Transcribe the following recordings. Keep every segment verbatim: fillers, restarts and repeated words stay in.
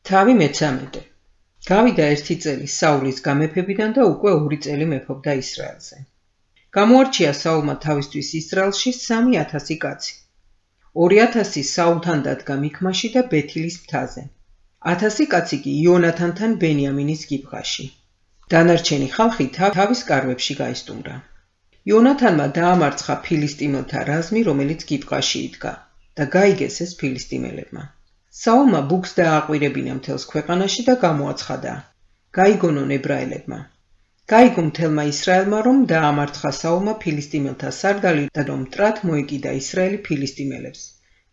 თავი მეცამეტე. გავიდა ერთი წელი საულის გამეფებიდან და უკვე ორი წელი მეფობდა ისრაელზე. გამოარჩია საულმა თავისთვის ისრაელში სამი ათასი კაცი. ორი ათასი საულთან დადგა მიქმაში და ბეთილის მთაზე. ათასი კაცი კი იონათანთან ბენიამინის გიბღაში. დანარჩენი ხალხი თავის კარვებში გაისტუმრა. იონათანმა დაამარცხა ფილისტიმელთა რაზმი, რომელიც გიბღაში იდგა და გაიგეს ეს ფილისტიმელებმა. საულმა ბუქს დააყვირებინა მთელს ქვეყანაში და გამოაცხადა. გაიგონონ ებრაელებმა. გაიგო მთელმა ისრაელმა, რომ დაამარცხა საულმა ფილისტიმელთა სარდალი და რომ მტრად მოეკიდა ისრაელი ფილისტიმელებს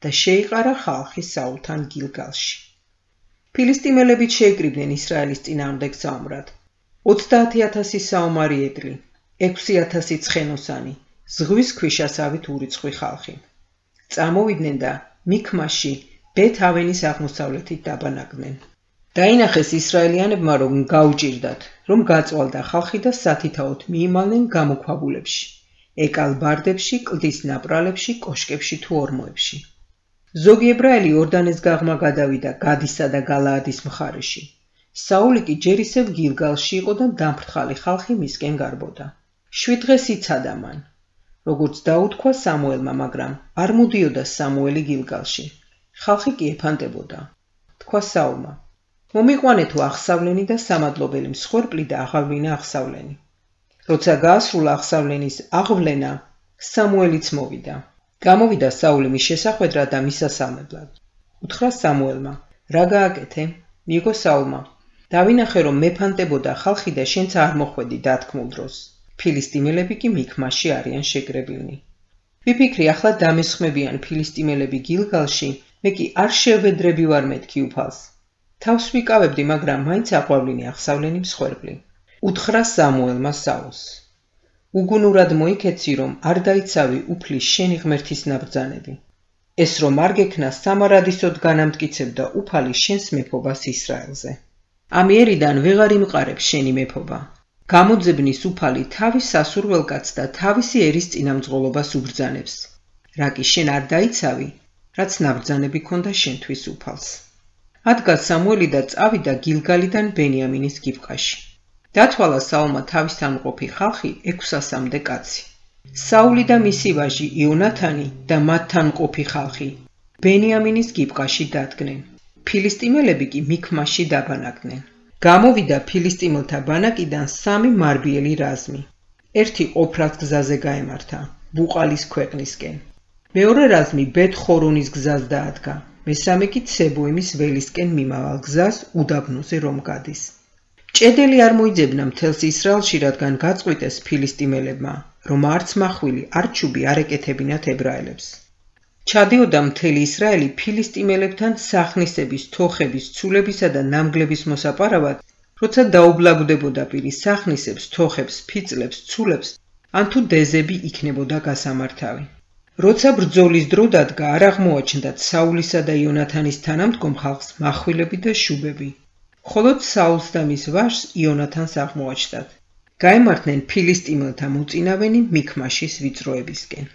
და შეიყარა ხალხი საულთან გილგალში. ფილისტიმელებიც შეიკრიბნენ ისრაელის წინააღმდეგ საომრად. ოცდაათი ათასი საომარი ედლი, ექვსი ათასი ცხენოსანი, ზღვის ქვიშასავით ურიცხვი ხალხი. წამოვიდნენ და მიქმაში ბეთ-ავენის აღმოსავლეთით დაბანაკდნენ. დაინახეს ისრაელიანებმა, რომ გაუჭირდათ, რომ გაწვალდა ხალხი და სათითაოდ მიიმალნენ გამოქვაბულებში, ეკალ ბარდებში, კლდის ნაპრალებში, კოშკებში თუ ორმოებში. ზოგი ებრაელი ორდანეს გაღმა გადავიდა გადისა და გალაადის მხარეში. საული კი ჯერ ისევ გილგალში იყო და დამფრთხალი ხალხი მისკენ გარბოდა. შვიდ დღეს იცადა მან, როგორც დაუთქვა სამუელმა, მაგრამ არ მოდიოდა სამუელი გილგალში. ხალხი კი ეფანტებოდა. თქვა საულმა: მომიყვანეთო აღსავლენი და სამადლობელი მსხვერპლი და აღავლენა აღსავლენი. როცა გაასრულა აღსავლენის აღვვლენა, სამუელიც მოვიდა. გამოვიდა საული მის შესახვედრად და მისასალმებლად. უთხრა სამუელმა: რა გააკეთე? მიიგო საულმა: დავინახე, რომ მეფანტებოდა ხალხი და შენც არ მოხვედი დათქმულ დროს. ფილისტიმელები კი მიქმაში არიან შეკრებილნი. ვიფიქრი, ახლა დამესხმებიან ფილისტიმელები გილგალში, მე კი არ შევედრები ვარ მეთქი უფალს. თავს ვიკავებდი, მაგრამ მაინც აყვავლინე აღსავლენი მსხვერპლი. უთხრა სამუელმა საულს: უგუნურად მოიქეცი, რომ არ დაიცავი უფლის შენი ღმერთის ნაბრძანები. ეს რომ არ გექნა, სამარადისოდ განამტკიცებდა უფალი შენს მეფობას ისრაელზე. ამიერიდან ვეღარ იმყარებს შენი მეფობა. გამოძებნის უფალი თავის სასურველკაც და თავისი ერის წინამძღოლობას უბრძანებს. რა კი შენ არ დაიცავი, რაც ნაბრძანები ქონდა შენთვის უფალს. ადგა სამუელი და წავიდა გილგალიდან ბენიამინის გიბღაში. დათვალა საულმა თავისთან მყოფი ხალხი ექვსასამდე კაცი. საული და მისი ვაჟი იონათანი და მათთან მყოფი ხალხი ბენიამინის გიბღაში დადგნენ. ფილისტიმელები კი მიქმაში დაბანაკდნენ. გამოვიდა ფილისტიმელთა ბანაკიდან სამი მარბიელი რაზმი. ერთი ოფრას გზაზე გაემართა, ბუყალის ქვეყნისკენ. მეორე რაზმი ბეთ-ხორონის გზას დაადგა, მესამე კი ცებოიმის ველისკენ მიმავალ გზას უდაბნოზე რომ გადის. ჭედელი არ მოიძებნა მთელს ისრაელში, რადგან გაწყვიტეს ფილისტიმელებმა, რომ არც მახვილი, არც ჩუბი არ ეკეთებინათ ებრაელებს. ჩადიოდა მთელი ისრაელი ფილისტიმელებთან სახნისების, თოხების, ცულებისა და ნამგლების მოსაპარავად, როცა დაუბლაგდებოდა პირი სახნისებს, თოხებს, ფიწლებს, ცულებს, ან თუ დეზები იქნებოდა გასამართავი. როცა ბრძოლის დრო დადგა, არ აღმოაჩნდათ საულისა და იონათანის თანამდგომ ხალხს მახვილები და შუბები. მხოლოდ საულს და მის ვაჟს იონათანს აღმოაჩნდათ. გაემართნენ ფილისტიმელთა მოწინავენი მიქმაშის ვიწროებისკენ.